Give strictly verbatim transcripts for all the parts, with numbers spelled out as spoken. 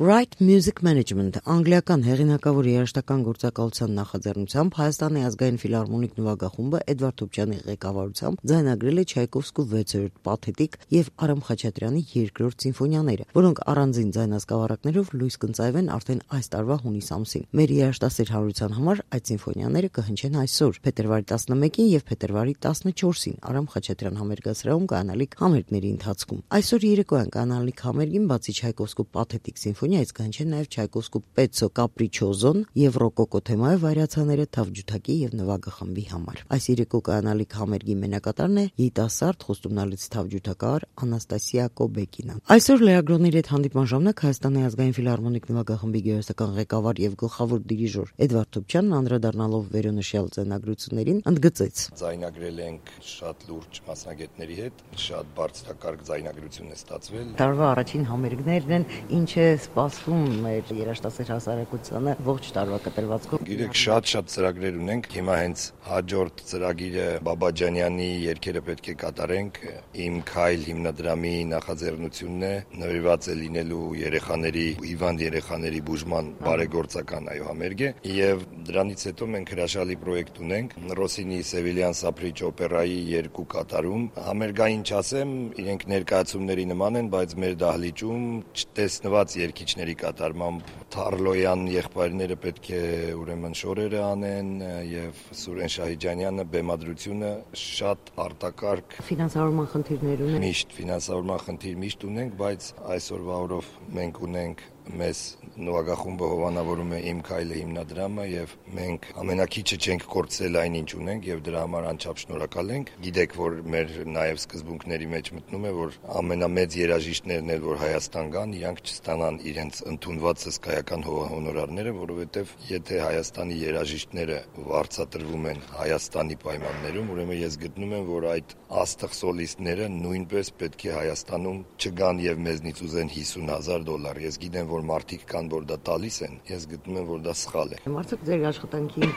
Right Music Management անգլիական հեղինակավոր երաժշտական գործակալության նախաձեռնությամբ Հայաստանի ազգային ֆիլհարմոնիկ նվագախումբը Էդվարդ Թուբյանի ղեկավարությամբ ձայնագրել է Չայկովսկու վեցերորդ պաթետիկ եւ Արամ Խաչատրյանի երկրորդ սիմֆոնիաները, որոնք առանձին ձայնասկավառակներով լույս կընծայվեն արդեն այս տարվա հունիս ամսին։ Մեր երաժշտասեր հանրության համար այդ սիմֆոնիաները կհնչեն այսօր, փետրվարի տասնմեկին եւ փետրվարի տասնչորսին Արամ Խաչատրյան համերգասրահում կանալիք համերգների ընթացքում։ Այսօր երեկոյան կանալիք համերգին բացի Չայկովսկու պաթետիկ սիմֆոնիայից կհնչեն նաև Չայկովսկու Պեցո Կապրիչոզոն եւ ռոկոկո թեմայով վայրացաները թավջութակի եւ նվագախմբի համար։ Այս երեկո կանալիք համերգի մենակատարն է երիտասարդ խոստումնալից թավջութակահար Անաստասիա Կոբեկինը։ Այսօր լրագրողների հետ հանդիպման ժամանակ Հայաստանի ազգային ֆիլհարմոնիկ նվագախմբի գեղեցկական ղեկավար եւ գլխավոր դիրիժոր Էդվարդ Թուբյանն անդրադառնալով վերոնշյալ ձայնագրություններին ընդգծեց. Ձայնագրել ենք շատ լուրջ մասնագետների հետ, շատ բարձրակարգ ձայնագրություն է ստացվել։ Տարվա առաջին համերգներն են, ինչ է սպասվում մեր երաժշտասեր հասարակությանը ողջ տարվա կտրվածքով։ Գիտեք, շատ-շատ ծրագրեր ունենք։ Հիմա հենց հաջորդ ծրագիրը Բաբաջանյանի երգերը պետք է կատարենք։ Իմ քայլ հիմնադրամի նախաձեռնությունն է, նվիրված է լինելու երեխաների, հիվանդ երեխաների բուժման բարեգործական այո համերգ է, եւ դրանից հետո մենք հրաշալի պրոյեկտ ունենք Ռոսինի Սևիլյան Սափրիչ օպերայի երկու կատարում։ Համերգային չասեմ, իրենք ներկայացումների նման են, բայց մեր դահլիճում չտեսնված երգիչների կատարմամբ Թարլոյան եղբայրները պետք է ուրեմն շորերը անեն եւ Սուրեն Շահիջանյանը բեմադրությունը շատ արտակարգ ֆինանսավորման խնդիրներ ունեն։ Միշտ ֆինանսավորման խնդիր միշտ ունենք, բայց այսօրվա օրով մենք ունենք մեզ նվագախումբը հովանավորում է Իմ քայլը հիմնադրամը եւ մենք ամենակիչը չենք կորցրել այն ինչ ունենք եւ դրա համար անչափ շնորհակալ ենք։ Գիտեք, որ մեր նաեւ սկզբունքների մեջ մտնում է, որ ամենամեծ երաժիշտներն էլ որ Հայաստան գան, իրանք չստանան իրենց ընդունված հսկայական հոնորարները, որովհետեւ եթե Հայաստանի երաժիշտները վարձատրվում են Հայաստանի պայմաններում, ուրեմն ես գտնում եմ, որ այդ աստղ սոլիստները նույնպես պետք է Հայաստանում չգան եւ մեզնից ուզեն հիսուն հազար դոլար։ Ես գիտեմ, որ մարդիկ կան, որ դա տալիս են, ես գտնում եմ, որ դա սխալ է։ Մարդիկ ձեր աշխատանքին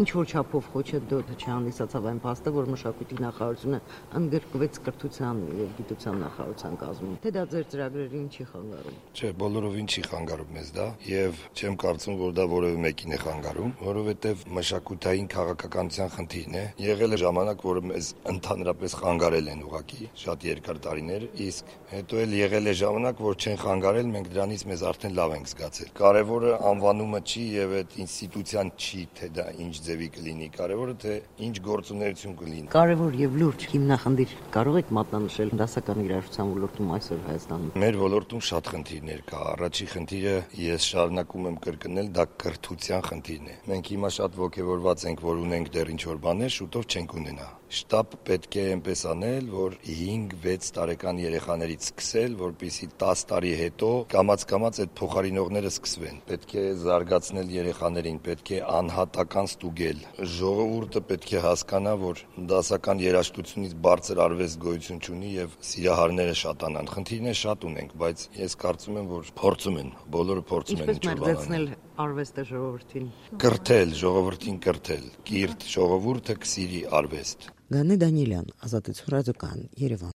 ինչ որ չափով խոչընդոտ չհանդիսացավ այն փաստը, որ մշակույթի նախարարությունը ընդգրկվեց կրթության եւ գիտության նախարարության կազմում։ Թե դա ձեր ծրագրերին չի խանգարում։ Չէ, բոլորովին չի խանգարում մեզ դա եւ չեմ կարծում, որ դա որևէ մեկին է խանգարում, որովհետեւ մշակութային քաղաքականության խնդիրն է։ Եղել է ժամանակ, որը մեզ ընդհանրապես խանգարել են ուղղակի շատ երկար տարիներ, իսկ հետո էլ եղել է ժամանակ, որ չեն խանգարել, մենք դրանից մեզ արդեն լավ ենք զգացել։ Կարևորը անվանումը չի եւ այդ ինստիտուցիան չի, թե դա ինչ ձևի կլինի, կարևորը թե ինչ գործունեություն կլինի։ Կարևոր եւ լուրջ հիմնախնդիր կարող եք մատնանշել դասական երաժշտության ոլորտում այսօր Հայաստանում։ Մեր ոլորտում շատ խնդիրներ կա։ Առաջի խնդիրը ես շարունակում եմ կրկնել, դա կրթության խնդիրն է։ Մենք հիմա շատ ողջավորված ենք, որ ունենք դեռ ինչ որ բաներ, շուտով չենք ունենա։ Շտապ պետք է այնպես անել, որ հինգ-վեց տարեկան երեխաներից սկսել, որպեսզի տասը տարի հետո կամաց-կամաց այդ փոխարինողները սկսվեն։ Պետք է զարգացնել երեխաներին, պետք է անհատական ստուգել։ Ժողովուրդը պետք է հասկանա, որ դասական երաժշտությունից բարձր արվեստ գոյություն չունի եւ սիրահարները շատանան։ Խնդիրներ շատ ունենք, բայց ես կարծում եմ, որ փորձում են, բոլորը փորձում են ինչ-որ բանել արվեստը ժողովրդին։ Կրթել, ժողովրդին կրթել։ Կիրթ ժողովուրդը կսիրի արվեստ։ Գանե Դանիելյան, Ազատություն ռադիոկայան, Երևան։